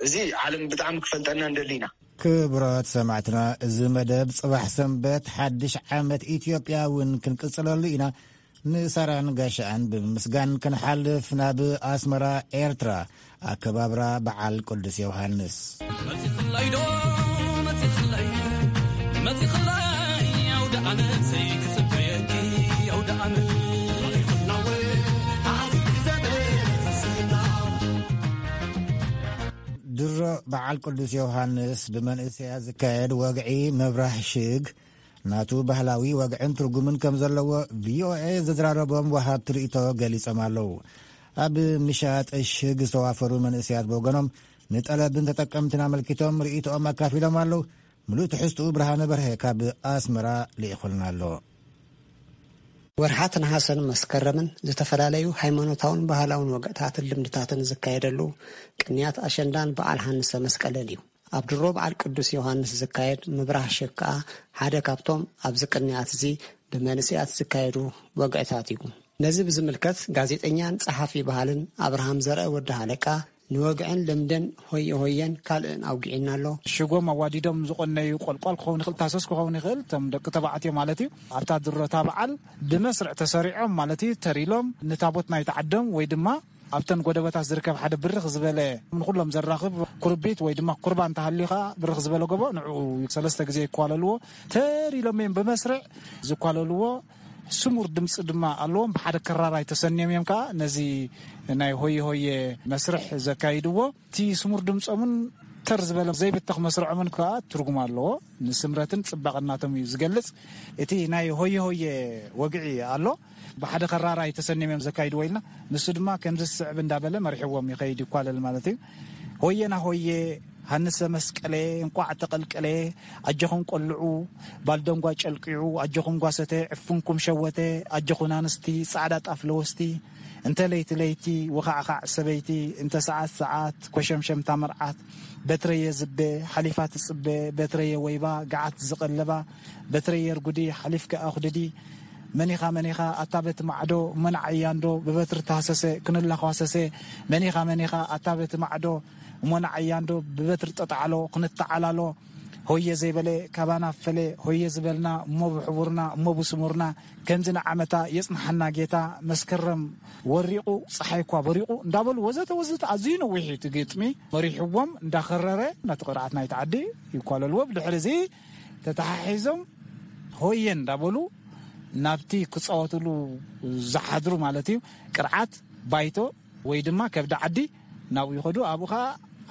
እዚ ዓለም ብጣዕሚ ክፈልጠና እንደሊ ኢና። ክቡራት ሰማዕትና፣ እዚ መደብ ጽባሕ ሰንበት ሓድሽ ዓመት ኢትዮጵያ እውን ክንቅጽለሉ ኢና። ንሳራን ጋሻኣን ብምምስጋን ክንሓልፍ ናብ ኣስመራ ኤርትራ፣ ኣከባብራ በዓል ቅዱስ ዮሃንስ። መጺኽለይ ዶ፣ መጺኽለይ፣ መጺኽለይ፣ ኣውደ ዓመተይ ክጽበየኪ፣ ኣውደ ዓመት። ድሮ በዓል ቅዱስ ዮሃንስ ብመንእሰያት ዝካየድ ወግዒ ምብራህ ሽግ ናቱ ባህላዊ ወግዕን ትርጉምን ከም ዘለዎ ቪኦኤ ዘዘራረቦም ወሃብቲ ርእይቶ ገሊጾም ኣለዉ። ኣብ ምሻጥ ሽግ ዝተዋፈሩ መንእሰያት ብወገኖም ንጠለብን ተጠቀምትን ኣመልኪቶም ርእይቶኦም ኣካፊሎም ኣለዉ። ምሉእ ትሕዝትኡ ብርሃነ በርሀ ካብ ኣስመራ ልኢኹልና ኣሎ። ወርሓት ነሓሰን መስከረምን ዝተፈላለዩ ሃይማኖታውን ባህላውን ወግዕታትን ልምድታትን ዝካየደሉ ቅንያት ኣሸንዳን በዓል ሃንሰ መስቀልን እዩ። ኣብ ድሮ በዓል ቅዱስ ዮሃንስ ዝካየድ ምብራህ ሽግ ከኣ ሓደ ካብቶም ኣብዚ ቅንያት እዚ ብመንእሰያት ዝካየዱ ወግዕታት እዩ። ነዚ ብዝምልከት ጋዜጠኛን ጸሓፊ ባህልን ኣብርሃም ዘርአ ወዲ ሃለቃ ንወግዕን ልምድን ሆየ ሆየን ካልእን ኣውጊዕና ኣሎ። ሽጎም ኣዋዲዶም ዝቆነዩ ቆልቋል ክኸውን ይኽእል፣ ታሰስ ክኸውን ይኽእል፣ እቶም ደቂ ተባዕትዮ ማለት እዩ። ኣብታ ድሮታ በዓል ብመስርዕ ተሰሪዖም ማለት እዩ፣ ተሪሎም ንታቦት ናይቲ ዓዶም ወይ ድማ ኣብተን ጎደበታት ዝርከብ ሓደ ብርኽ ዝበለ ንኹሎም ዘራኽብ ኩርቢት ወይ ድማ ኩርባ እንተሃልዩ ኸዓ ብርኽ ዝበለ ጎቦ ንዕኡ ሰለስተ ግዜ ይኳለልዎ። ተሪሎም እዮም ብመስርዕ ዝኳለልዎ። ስሙር ድምፂ ድማ ኣለዎም። ብሓደ ክራር ኣይተሰንዮም እዮም ከዓ ነዚ ናይ ሆየ ሆየ መስርሕ ዘካይድዎ። እቲ ስሙር ድምፆምን ተር ዝበለ ዘይብተኽ መስርዖምን ከዓ ትርጉም ኣለዎ። ንስምረትን ፅባቐን ናቶም እዩ ዝገልፅ። እቲ ናይ ሆየ ሆየ ወግዒ ኣሎ። ብሓደ ከራራይ ተሰንዮም እዮም ዘካይድዎ ኢልና፣ ንሱ ድማ ከምዚ ዝስዕብ እንዳበለ መሪሕዎም ይኸይድ፣ ይኳለል ማለት እዩ። ሆየና ሆየ፣ ሃንሰ መስቀሌ፣ እንቋዕ ተቐልቀሌ፣ ኣጆኹም ቆልዑ፣ ባልደንጓ ጨልቂዑ፣ ኣጆኹም ጓሰተ፣ ዕፍንኩም ሸወተ፣ ኣጆኹን ኣንስቲ፣ ጻዕዳ ጣፍ ለወስቲ፣ እንተ ለይቲ ለይቲ፣ ወኻዕኻዕ ሰበይቲ፣ እንተ ሰዓት ሰዓት፣ ኮሸምሸምታ መርዓት፣ በትረየ ዝበ፣ ሓሊፋ ትጽበ፣ በትረየ ወይባ፣ ገዓት ዝቐለባ፣ በትረየ ርጉዲ፣ ሓሊፍኪ ኣኹድዲ፣ መኒኻ መኒኻ ኣታ በቲ ማዕዶ፣ እሞ ንዓያ እንዶ ብበትሪ ተሃሰሰ፣ ክንላኳሰሰ፣ መኒኻ መኒኻ ኣታ በቲ ማዕዶ፣ እሞ ንዓያ እንዶ ብበትሪ ጠጣዕሎ፣ ክንተዓላሎ፣ ሆየ ዘይበለ ካባና ፈለ፣ ሆየ ዝበልና እሞ ብሕቡርና፣ እሞ ብስሙርና፣ ከምዚ ንዓመታ የጽንሓና ጌታ፣ መስከረም ወሪቑ፣ ጸሓይ እኳ በሪቑ እንዳበሉ ወዘተ ወዘተ ኣዝዩ ነዊሕ እዩ እቲ ግጥሚ። መሪሕዎም እንዳኸረረ ነቲ ቅርዓት ናይቲ ዓዲ ይኳለልዎ። ብድሕሪ እዚ ተተሓሒዞም ሆየ እንዳበሉ ናብቲ ክጻወትሉ ዝሓድሩ ማለት እዩ ቅርዓት ባይቶ ወይ ድማ ከብዲ ዓዲ ናብኡ ይኸዱ። ኣብኡ ኸዓ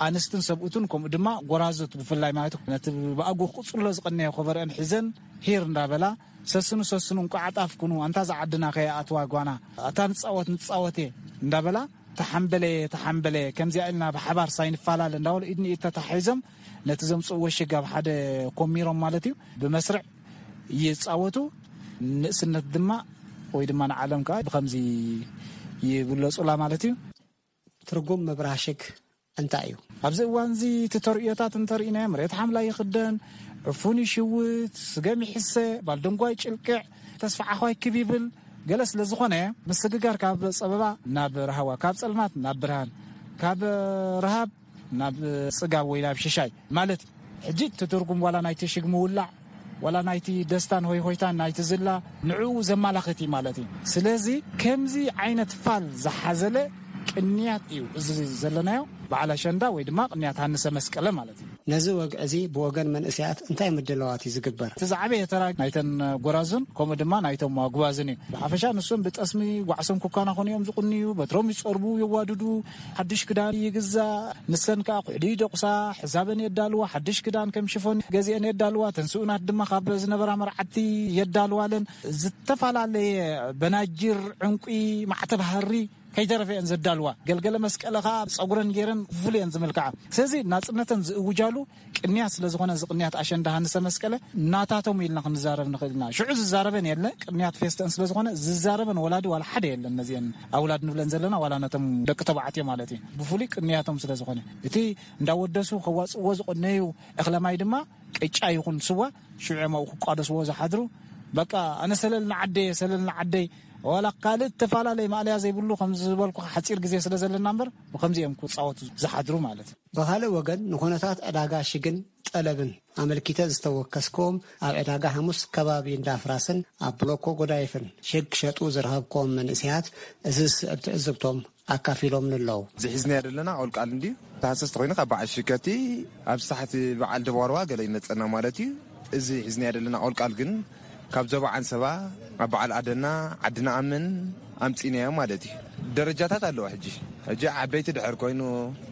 ኣንስትን ሰብኡትን ከምኡ ድማ ጎራዙት ብፍላይ ማለት እዩ ነቲ ብኣግኡ ክቕጽሎ ዝቐነየ ኮበረአን ሒዘን ሂር እንዳበላ ሰስኑ ሰስኑ እንቋዕ ኣጣፍኩኑ ኣንታ ዝዓድና ከይኣትዋ ጓና ኣታ ንጻወት ንጻወት እየ እንዳበላ ተሓምበለ ተሓምበለ ከምዚኣ ኢልና ብሓባር ሳይንፋላለ እንዳበሉ ኢድ ንኢድ ተታሒዞም ነቲ ዘምጽእዎ ሽግ ኣብ ሓደ ኮሚሮም ማለት እዩ ብመስርዕ ይጻወቱ። ንእስነት ድማ ወይ ድማ ንዓለም ከዓ ብኸምዚ ይብለጹላ ማለት እዩ። ትርጉም ምብራሽግ እንታይ እዩ? ኣብዚ እዋን እዚ እቲ ተርእዮታት እንተርኢናዮ፣ መሬት ሓምላይ ይኽደን፣ ዕፉን ይሽውት፣ ስገም ይሕሰ፣ ባልደንጓይ ጭልቅዕ፣ ተስፋ ዓዃይ ክብ ይብል፣ ገለ ስለ ዝኾነ፣ ምስግጋር ካብ ጸበባ ናብ ረሃዋ፣ ካብ ጸልማት ናብ ብርሃን፣ ካብ ረሃብ ናብ ጽጋብ ወይ ናብ ሽሻይ ማለት እዩ። ሕጂ እቲ ትርጉም ዋላ ናይቲ ሽግ ምውላዕ፣ ዋላ ናይቲ ደስታን ሆይ ሆይታን ናይቲ ዝላ ንዕኡ ዘማላኽት እዩ ማለት እዩ። ስለዚ ከምዚ ዓይነት ፋል ዝሓዘለ ቅንያት እዩ እዚ ዘለናዮ በዓል ኣሸንዳ ወይ ድማ ቅንያት ሃንሰ መስቀለ ማለት እዩ። ነዚ ወግዒ እዚ ብወገን መንእሰያት እንታይ ምድላዋት እዩ ዝግበር? እቲ ዝዓበየ ተራ ናይተን ጎራዙን ከምኡ ድማ ናይቶም ኣጉባዝን እዩ። ብሓፈሻ ንሶም ብጠስሚ ጓዕሶም ኩካና ኮኑ እዮም ዝቕንዩ፣ በትሮም ይጸርቡ፣ የዋድዱ፣ ሓድሽ ክዳን ይግዛእ። ንሰን ከኣ ኩሕሊ ይደቑሳ፣ ሕዛበን የዳልዋ፣ ሓድሽ ክዳን ከም ሽፎን ገዚአን የዳልዋ። ተን ስኡናት ድማ ካብ ዝነበራ መርዓቲ የዳልዋለን። ዝተፈላለየ በናጅር፣ ዕንቁ፣ ማዕተብ ሃሪ ከይተረፈ እየን ዘዳልዋ። ገልገለ መስቀለ ከኣ ጸጉረን ገይረን ፍሉይ እየን ዝምልክዓ። ስለዚ ናጽነተን ዝእውጃሉ ቅንያት ስለ ዝኾነ፣ እዚ ቅንያት ኣሸንዳ ሃንሰ መስቀለ ናታቶም ኢልና ክንዛረብ ንኽእል ኢና። ሽዑ ዝዛረበን የለ፣ ቅንያት ፌስተን ስለ ዝኾነ ዝዛረበን ወላዲ ዋላ ሓደ የለን። ነዚአን ኣውላድ ንብለን ዘለና ዋላ ነቶም ደቂ ተባዕትዮ ማለት እዩ። ብፍሉይ ቅንያቶም ስለ ዝኾነ፣ እቲ እንዳወደሱ ከዋጽእዎ ዝቐነዩ እኽለ ማይ ድማ ቅጫ ይኹን ስዋ ሽዑ እዮም ኣብኡ ክቋደስዎ ዝሓድሩ። በቃ ኣነ ሰለል ንዓደየ፣ ሰለል ንዓደይ፣ ዋላ ካልእ እተፈላለየ ማእለያ ዘይብሉ፣ ከም ዝበልኩ ሓጺር ግዜ ስለ ዘለና እምበር፣ ብኸምዚ እዮም ክጻወቱ ዝሓድሩ ማለት እዩ። ብኻልእ ወገን፣ ንኹነታት ዕዳጋ ሽግን ጠለብን ኣመልኪተ ዝተወከስክዎም፣ ኣብ ዕዳጋ ሓሙስ ከባቢ እንዳፍራስን ኣብ ብሎኮ ጎዳይፍን ሽግ ክሸጡ ዝረኸብክዎም መንእሰያት፣ እዚ ዝስዕብ ትዕዝብቶም ኣካፊሎምኒ ኣለዉ። እዚ ሒዝናዮ ዘለና ቆልቃል እንድዩ። ተሃሰስቲ ኮይኑ ካብ በዓል ሽከቲ ኣብ ሳሕቲ በዓል ደባርዋ ገለ ይመጸና ማለት እዩ። እዚ ሒዝናዮ ዘለና ቆልቃል ግን ካብ ዞባ ዓንሰባ፣ ኣብ በዓል ኣደና፣ ዓዲ ንኣምን ኣምጺናዮ ማለት እዩ። ደረጃታት ኣለዎ። ሕጂ፣ ሕጂ ዓበይቲ ድሕር ኮይኑ፣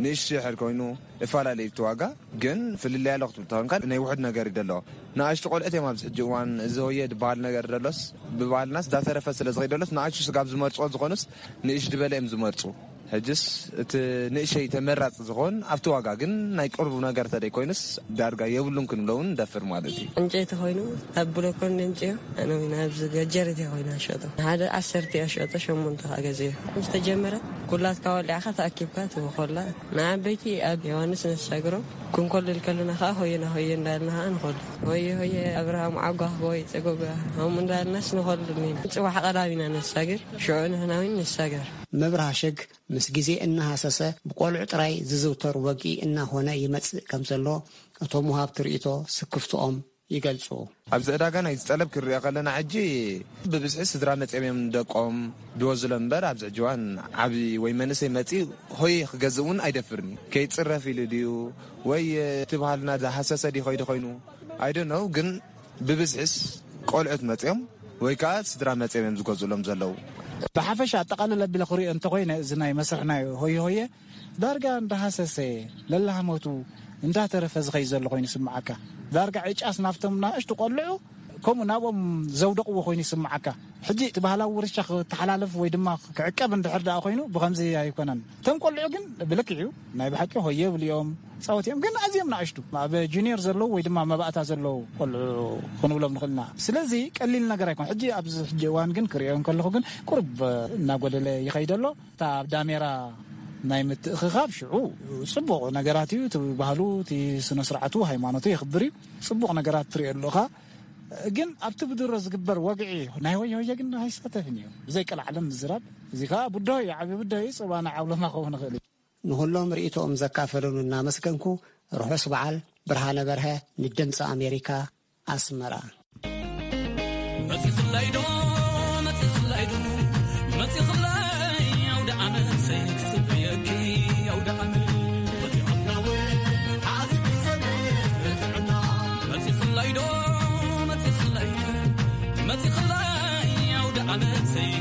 ንእሽቶ ድሕር ኮይኑ፣ እፈላለዩ እቲ ዋጋ። ግን ፍልልይ ኣሎ ክትብል ተኾንካ፣ ናይ ውሑድ ነገር እዩ ደሎ። ንኣሽቱ ቆልዑት እዮም ኣብዚ ሕጂ እዋን እዚ ሆየ ዝበሃል ነገር ደሎስ፣ ብባህልናስ ዳተረፈ ስለ ዝኸይድ ደሎስ፣ ንኣሽቱ ስጋብ ዝመርጽዎ ዝኾኑስ ንእሽ ዝበለ እዮም ዝመርጹ። ሕጅስ እቲ ንእሸይ ተመራጺ ዝኾን ኣብቲ ዋጋ፣ ግን ናይ ቅርቡ ነገር ተደይ ኮይኑስ ዳርጋ የብሉን ክንብሎ እውን ንደፍር ማለት እዩ። ዕንጨይቲ ኮይኑ ኣብ ብሎኮን ነንጭዮ፣ ኣነ እውን ኣብዚ ገጀረት እየ ኮይኑ ኣሸጦ። ሓደ ዓሰርተ እየ ኣሸጦ፣ ሸሞንተ ከዓ ገዚኦ። ምስ ተጀመረ ኩላትካ ወሊዕኻ ተኣኪብካ ትበኾላ። ንዓበይቲ ኣብ ዮሃንስ ነሳግሮም ክንኮልል ከለና ከዓ ሆየና ሆየ እንዳልና ከዓ ንኾሉ። ሆየ ሆየ ኣብርሃም ዓጓ ወይ ጸጎጋ፣ ከምኡ እንዳልናስ ንኾሉ። ጽባሕ ቀዳሚና ነሳግር፣ ሽዑ ንሕና እውን ንሳገር። ምብራህ ሽግ ምስ ግዜ እናሃሰሰ ብቆልዑ ጥራይ ዝዝውተር ወግኢ እናኾነ ይመጽእ ከም ዘሎ እቶም ወሃብቲ ርእይቶ ስክፍትኦም ይገልጹ። ኣብዚ ዕዳጋ ናይ ዝጠለብ ክንሪኦ ከለና ሕጂ ብብዝሒ ስድራ መጺኦም እዮም ደቆም ድወዝሎም እምበር ኣብዚ ሕጂ እዋን ዓቢ ወይ መንእሰይ መጺኡ ሆየ ክገዝእ እውን ኣይደፍርን እዩ። ከይጽረፍ ኢሉ ድዩ ወይ እቲ ባህልና ዝሃሰሰ ድዩ ከይዱ ኮይኑ ኣይደነው ግን ብብዝሒስ ቆልዑት መጺኦም ወይ ከዓ ስድራ መጺኦም እዮም ዝገዝእሎም ዘለዉ። ብሓፈሻ ኣጠቓልል ኣቢለ ክሪኦ እንተኾይነ፣ እዚ ናይ መስርሕ ናይ ሆየ ሆየ ዳርጋ እንዳሃሰሰ ለላህመቱ እንዳተረፈ ዝኸይ ዘሎ ኮይኑ ይስምዓካ። ዳርጋ ዕጫስ ናብቶም ናእሽቱ ቆልዑ ከምኡ ናብኦም ዘውደቕዎ ኮይኑ ይስምዓካ። ሕጂ እቲ ባህላዊ ውርሻ ክተሓላለፍ ወይ ድማ ክዕቀብ እንድሕር ደኣ ኮይኑ ብኸምዚ ኣይኮነን። እቶም ቆልዑ ግን ብልክዕ እዩ፣ ናይ ብሓቂ ሆየ ይብሉ እዮም፣ ጻወት እዮም፣ ግን ኣዝዮም ንኣሽቱ ኣብ ጁኒየር ዘለዉ ወይ ድማ መባእታ ዘለዉ ቆልዑ ክንብሎም ንኽእል ኢና። ስለዚ ቀሊል ነገር ኣይኮን። ሕጂ ኣብዚ ሕጂ እዋን ግን ክሪኦ እንከለኹ ግን ቁሩብ እናጎደለ ይኸይድ ኣሎ። እታ ኣብ ዳሜራ ናይ ምትእኽኻብ ሽዑ ጽቡቕ ነገራት እዩ። እቲ ባህሉ፣ እቲ ስነ ስርዓቱ፣ ሃይማኖቱ የኽብር እዩ። ጽቡቕ ነገራት ትሪኦ ኣለኻ። ግን ኣብቲ ብድሮ ዝግበር ወግዒ ናይ ሆየ ሆየ ግን ኣይሳተፍን እዩ። ብዘይ ቀልዓለም ምዝራብ፣ እዚ ከኣ ብድሆ እዩ፣ ዓቢ ብድሆ እዩ። ጽባሕ ንዓውሎማ ክኸውን ይኽእል እዩ። ንኹሎም ርእይቶኦም ዘካፈሉን እናመስገንኩ፣ ርሑስ በዓል። ብርሃነ በርሀ ንድምፂ ኣሜሪካ፣ ኣስመራ። መጺኽላይ ዶ፣ መጺኽላይ ዶ፣ መጺኽላይ ኣውደ ዓመት ክጽበየኪ ኣውደ ዓመት። መጺኽላይ ዶ፣ መጺኽላይ፣ መጺኽላይ ኣውደ ዓመት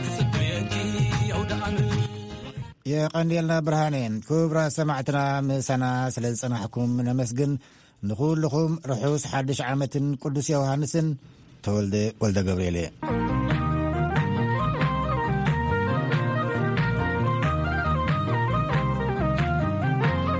ክጽበየኪ ኣውደ ዓመት። የቐንየልና ብርሃነ። ክቡራት ሰማዕትና ምሳና ስለ ዝጸናሕኩም ነመስግን። ንኹልኹም ርሑስ ሓድሽ ዓመትን ቅዱስ ዮሃንስን። ተወልደ ወልደ ገብርኤል እየ።